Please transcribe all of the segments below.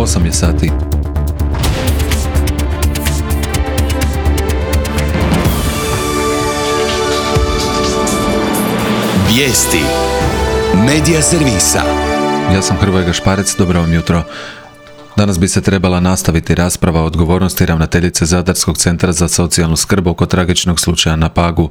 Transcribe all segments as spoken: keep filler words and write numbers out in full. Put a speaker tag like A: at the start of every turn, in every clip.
A: osam je sati.
B: Vijesti Medija servisa.
A: Ja sam Hrvoje Gašparec, dobro vam jutro. Danas bi se trebala nastaviti rasprava o odgovornosti ravnateljice Zadarskog centra za socijalnu skrb oko tragičnog slučaja na Pagu.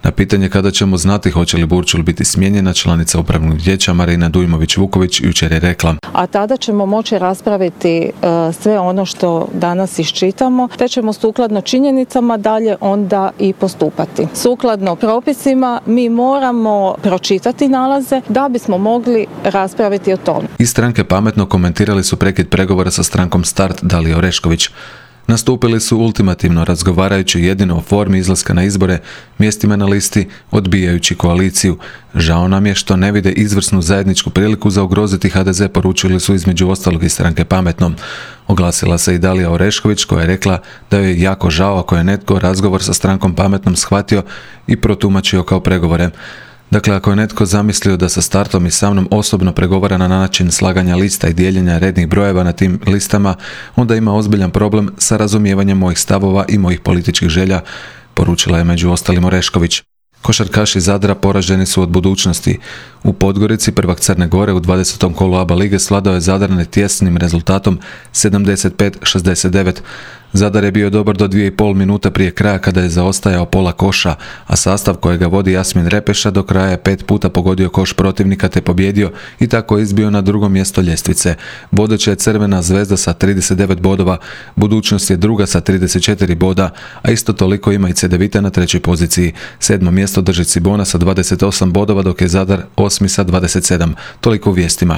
A: Na pitanje kada ćemo znati hoće li Burčul biti smijenjena, članica upravnog vijeća Marina Dujmović-Vuković jučer je rekla:
C: a tada ćemo moći raspraviti uh, sve ono što danas iščitamo, te ćemo sukladno činjenicama dalje onda i postupati. Sukladno propisima mi moramo pročitati nalaze da bismo mogli raspraviti o tome.
A: Iz stranke Pametno komentirali su prekid pregovora sa strankom Start Dalija Orešković. Nastupili su ultimativno, razgovarajući jedino o formi izlaska na izbore, mjestima na listi, odbijajući koaliciju. Žao nam je što ne vide izvrsnu zajedničku priliku za ugroziti ha de ze, poručili su između ostalog iz stranke Pametno. Oglasila se i Dalija Orešković koja je rekla da joj je jako žao ako je netko razgovor sa strankom Pametnom shvatio i protumačio kao pregovore. Dakle, ako je netko zamislio da sa Startom i sa mnom osobno pregovara na način slaganja lista i dijeljenja rednih brojeva na tim listama, onda ima ozbiljan problem sa razumijevanjem mojih stavova i mojih političkih želja, poručila je među ostalim Orešković. Košarkaši Zadra poraženi su od budućnosti. U Podgorici prvak Crne Gore u dvadesetom kolu A B A lige svladao je Zadar netjesnim rezultatom sedamdeset pet šezdeset devet. Zadar je bio dobar do dvije i pol minuta prije kraja kada je zaostajao pola koša, a sastav kojega vodi Jasmin Repeša do kraja je pet puta pogodio koš protivnika te pobjedio i tako izbio na drugo mjesto ljestvice. Vodeća je Crvena Zvezda sa trideset devet bodova, Budućnost je druga sa trideset četiri boda, a isto toliko ima i Cedevita na trećoj poziciji. Sedmo mjesto drži Cibona sa dvadeset osam bodova, dok je Zadar osmi sa dvadeset sedam. Toliko u vijestima.